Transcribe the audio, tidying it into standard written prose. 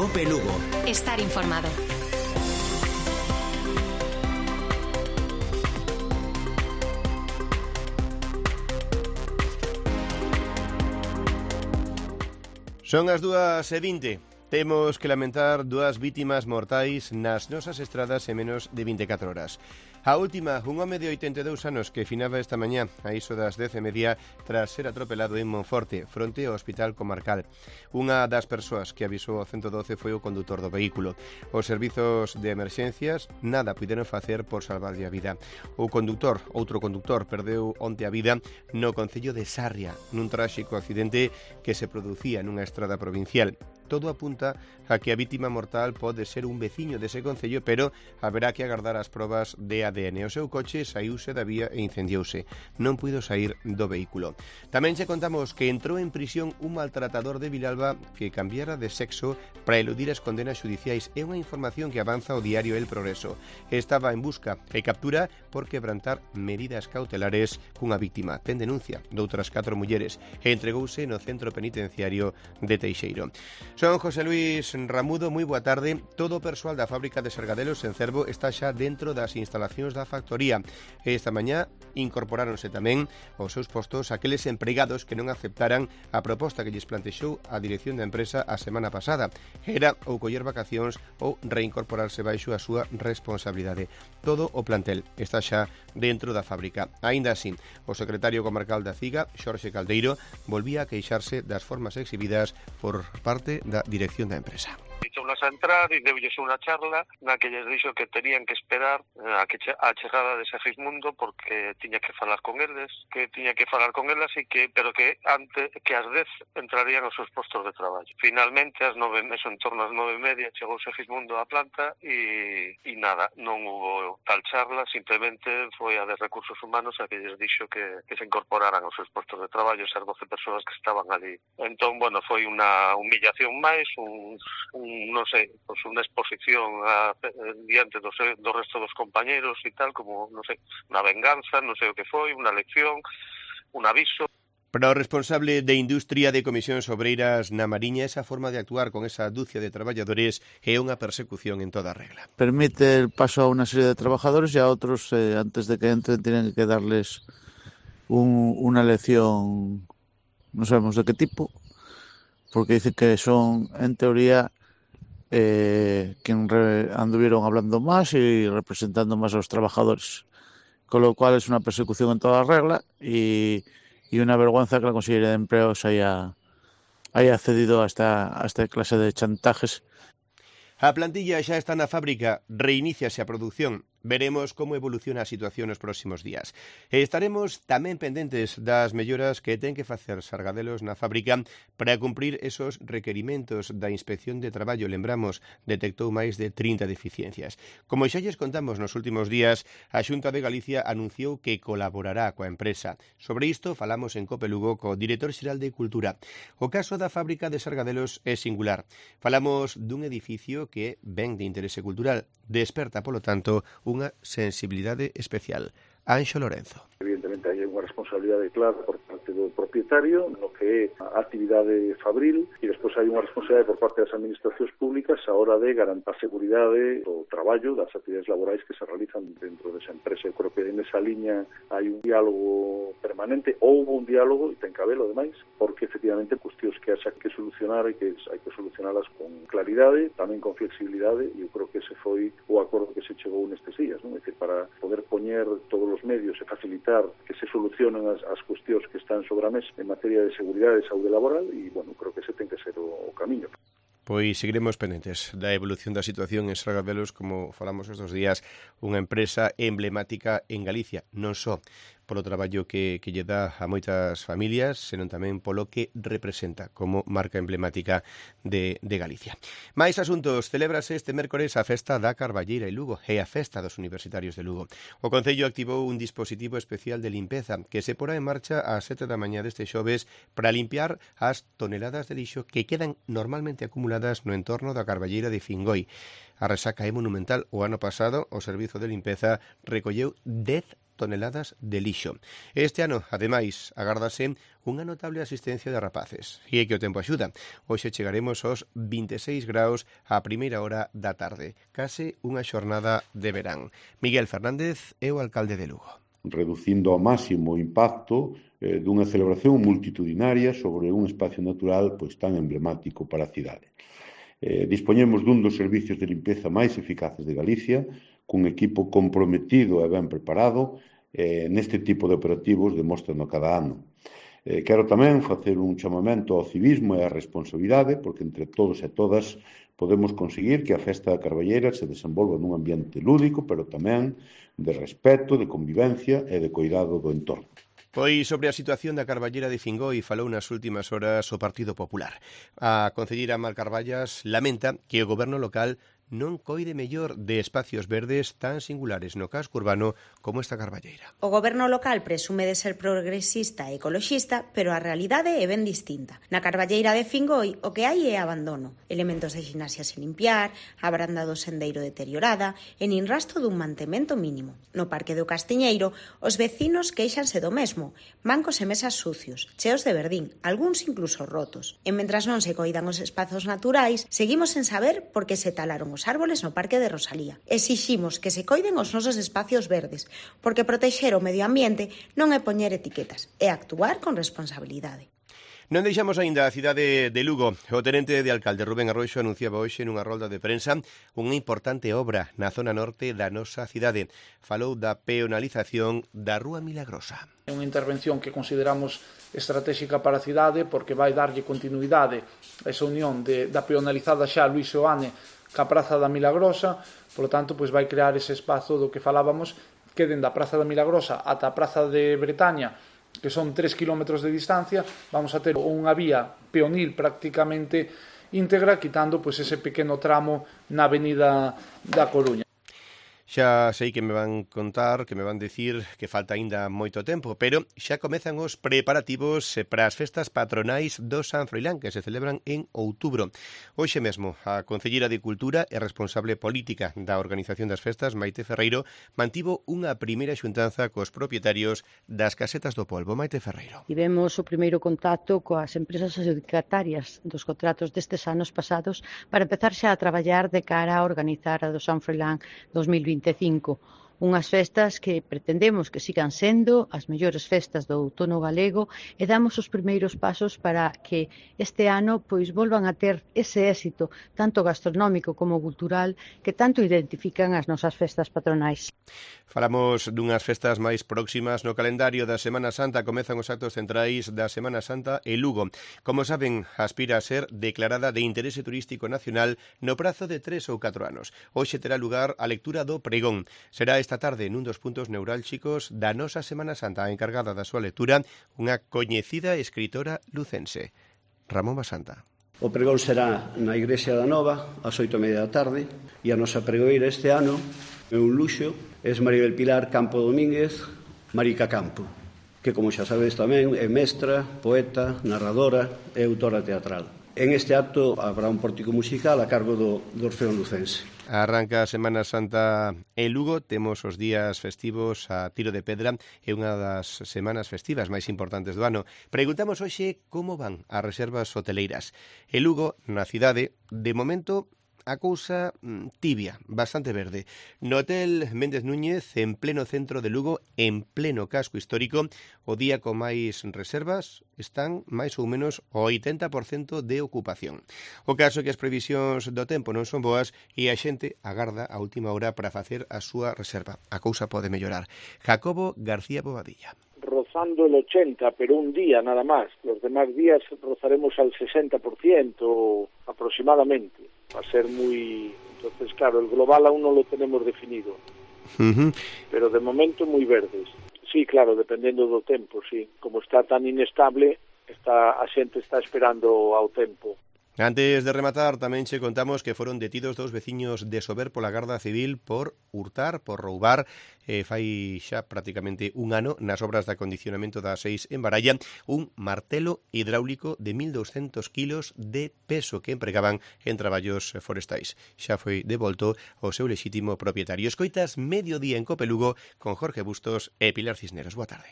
COPE Lugo. Estar informado. Son as 2:20. Temos que lamentar 2 vítimas mortais nas nosas estradas en menos de 24 horas. A última, un home de 82 anos que finaba esta mañá a iso das 10:30 tras ser atropelado en Monforte, fronte ao Hospital Comarcal. Unha das persoas que avisou ao 112 foi o condutor do vehículo. Os servizos de emerxencias nada puideron facer por salvarlle a vida. Outro condutor, perdeu onte a vida no concello de Sarria, nun tráxico accidente que se producía nunha estrada provincial. Todo apunta a que a vítima mortal pode ser un veciño dese concello, pero haberá que agardar as probas de ADN. O seu coche saíuse da vía e incendiouse. Non puido sair do vehículo. Tamén che contamos que entrou en prisión un maltratador de Vilalba que cambiara de sexo para eludir as condenas judiciais. É unha información que avanza o diario El Progreso. Estaba en busca e captura por quebrantar medidas cautelares cunha víctima. Ten denuncia doutras 4 mulleres e entregouse no centro penitenciario de Teixeiro. Son José Luis Ramudo, moi boa tarde. Todo o persoal da fábrica de Sargadelos en Cervo está xa dentro das instalacións da factoría. Esta mañá incorporáronse tamén aos seus postos aqueles empregados que non aceptaran a proposta que lles plantexou a dirección da empresa a semana pasada. Era ou coller vacacións ou reincorporarse baixo a súa responsabilidade. Todo o plantel está xa dentro da fábrica. Aínda así, o secretario comarcal da CIGA, Xorxe Caldeiro, volvía a queixarse das formas exhibidas por parte da dirección da empresa. Dixounos a entrar e deulles unha charla na que lles dixo que terían que esperar a chegada de Segismundo porque tiña que falar con eles, pero que antes que ás 10 entrarían aos seus postos de traballo. Finalmente, ás 9, en torno ás 9:30 chegou Segismundo á planta e nada, non hubo tal charla, simplemente foi a de Recursos Humanos a que lles dixo que se incorporaran aos seus postos de traballo esas 12 persoas que estaban ali. Entón, bueno, foi unha humillación máis, non sei, pues unha exposición diante do resto dos compañeros e tal, como, non sei, unha venganza, non sei o que foi, unha lección, un aviso. Para o responsable de Industria de Comisións Obreiras na Mariña, esa forma de actuar con esa dúcia de traballadores é unha persecución en toda regla. Permite el paso a unha serie de trabajadores e a outros, antes de que entren, tienen que darles unha lección, non sabemos de que tipo, porque dice que son, en teoría, quien anduvieron hablando más y representando más a los trabajadores, con lo cual es una persecución en toda regla y una vergüenza que la Consellería de Empleos haya accedido a esta clase de chantajes. A plantilla xa está na fábrica, reiníciase a produción. Veremos como evoluciona a situación nos próximos días. E estaremos tamén pendentes das melloras que ten que facer Sargadelos na fábrica para cumprir esos requerimentos da Inspección de Traballo. Lembramos, detectou máis de 30 deficiencias. Como xa lles contamos nos últimos días, a Xunta de Galicia anunciou que colaborará coa empresa. Sobre isto falamos en COPE Lugo co director xeral de Cultura. O caso da fábrica de Sargadelos é singular. Falamos dun edificio que ven de interese cultural. Desperta, polo tanto, unha sensibilidade especial. Anxo Lorenzo. Evidentemente hai unha responsabilidade clara por parte do propietario no que é a actividade fabril e despois hai unha responsabilidade por parte das administracións públicas a hora de garantir a seguridade do traballo das actividades laborais que se realizan dentro desa empresa. Eu creo que en esa liña hai un diálogo permanente, houve un diálogo e ten que habelo ademais, porque efectivamente cuestións que haxa que solucionar e que hai que solucionalas con claridade, tamén con flexibilidade, e eu creo que ese foi o acordo que se chegou nestes días, non? É dicir, para poder poñer todos os medios e facilitar que se solucionen as cuestións que están sobre a mesa en materia de seguridade e saúde laboral e, bueno, creo que ese ten que ser o camiño. Pois seguiremos pendentes da evolución da situación en Sargadelos, como falamos estes días, unha empresa emblemática en Galicia, non só polo traballo que lle dá a moitas familias, senón tamén polo que representa como marca emblemática de Galicia. Mais asuntos, celébrase este mércores a festa da Carballeira e Lugo e a festa dos universitarios de Lugo. O Concello activou un dispositivo especial de limpeza que se porá en marcha ás 7 da mañá deste xoves para limpiar as toneladas de lixo que quedan normalmente acumuladas no entorno da Carballeira de Fingoi. A resaca é monumental. O ano pasado, o Servizo de Limpeza recolleu 10 toneladas de lixo. Este ano, ademais, agárdase unha notable asistencia de rapaces. E é que o tempo axuda. Hoxe chegaremos aos 26 graus a primeira hora da tarde. Case unha xornada de verán. Miguel Fernández é o alcalde de Lugo. Reducindo ao máximo o impacto dunha celebración multitudinaria sobre un espacio natural pois tan emblemático para a cidade. Dispoñemos dun dos servicios de limpeza máis eficaces de Galicia, cun equipo comprometido e ben preparado neste tipo de operativos demostrando cada ano. Quero tamén facer un chamamento ao civismo e á responsabilidade, porque entre todos e todas podemos conseguir que a Festa da Carballeira se desenvolva nun ambiente lúdico, pero tamén de respeto, de convivencia e de cuidado do entorno. Pois sobre a situación da Carballera de Fingoi falou nas últimas horas o Partido Popular. A concelleira Mar Carballas lamenta que o goberno local non coide mellor de espacios verdes tan singulares no casco urbano como esta Carballeira. O goberno local presume de ser progresista e ecoloxista, pero a realidade é ben distinta. Na Carballeira de Fingoi o que hai é abandono, elementos de gimnasia sin limpiar, a branda do sendeiro deteriorada e nin rastro dun mantemento mínimo. No Parque do Castiñeiro, os vecinos queixanse do mesmo, bancos e mesas sucios, cheos de verdín, algúns incluso rotos. E mentras non se coidan os espazos naturais, seguimos sen saber por que se talaron os árboles no Parque de Rosalía. Exiximos que se coiden os nosos espacios verdes, porque protexer o medio ambiente non é poñer etiquetas, é actuar con responsabilidade. Non deixamos aínda a cidade de Lugo. O tenente de alcalde Rubén Arroxo anunciaba hoxe nunha rolda de prensa unha importante obra na zona norte da nosa cidade. Falou da peonalización da Rúa Milagrosa. É unha intervención que consideramos estratégica para a cidade porque vai darlle continuidade a esa unión da peonalizada xa Luís Seoane ca Praza da Milagrosa, por lo tanto, pois vai crear ese espazo do que falábamos que dende a Praza da Milagrosa ata a Praza de Bretaña, que son 3 kilómetros de distancia, vamos a ter unha vía peonil prácticamente íntegra, quitando pois ese pequeno tramo na Avenida da Coruña. Xa sei que me van contar, que me van dicir que falta aínda moito tempo, pero xa comezan os preparativos para as festas patronais do San Froilán, que se celebran en outubro. Hoxe mesmo, a concelleira de Cultura e responsable política da organización das festas, Maite Ferreiro, mantivo unha primeira xuntanza cos propietarios das casetas do polvo. Maite Ferreiro. Tivemos o primeiro contacto coas empresas adjudicatarias dos contratos destes anos pasados para empezar xa a traballar de cara a organizar a do San Froilán 2025. Unhas festas que pretendemos que sigan sendo as mellores festas do outono galego e damos os primeiros pasos para que este ano pois volvan a ter ese éxito tanto gastronómico como cultural que tanto identifican as nosas festas patronais. Falamos dunhas festas máis próximas no calendario da Semana Santa. Comezan os actos centrais da Semana Santa en Lugo. Como saben, aspira a ser declarada de interese turístico nacional no prazo de 3 ou 4 anos. Hoxe terá lugar a lectura do pregón. Será esta tarde nun dos puntos neurálxicos da nosa Semana Santa. A encargada da súa lectura, unha coñecida escritora lucense, Ramón Basanta. O pregón será na Igrexa da Nova, ás 8:30 da tarde, e a nosa pregoeira este ano é un luxo, é María del Pilar Campo Domínguez, Marica Campo, que, como xa sabedes tamén, é mestra, poeta, narradora e autora teatral. En este acto habrá un pórtico musical a cargo do Orfeón Lucense. Arranca a Semana Santa en Lugo, temos os días festivos a tiro de pedra e unha das semanas festivas máis importantes do ano. Preguntamos hoxe como van as reservas hoteleiras. En Lugo, na cidade, de momento a cousa tibia, bastante verde. No hotel Méndez Núñez, en pleno centro de Lugo, en pleno casco histórico, o día con máis reservas están máis ou menos o 80% de ocupación. O caso é que as previsións do tempo non son boas e a xente agarda a última hora para facer a súa reserva. A cousa pode mellorar. Jacobo García Bobadilla. Rozando el 80, pero un día nada más. Los demás días rozaremos al 60% aproximadamente. Va a ser muy... Entonces, claro, el global aún no lo tenemos definido. Pero de momento muy verdes. Sí, claro, dependendo do tempo, sí. Como está tan inestable, a xente está esperando ao tempo. Antes de rematar, tamén che contamos que foron detidos 2 veciños de Sober pola Garda Civil por hurtar, por roubar, fai xa prácticamente un ano, nas obras de acondicionamento da 6 en Baralla, un martelo hidráulico de 1.200 kilos de peso que empregaban en traballos forestais. Xa foi devolto ao seu lexítimo propietario. Escoitas Mediodía en Copelugo con Jorge Bustos e Pilar Cisneros. Boa tarde.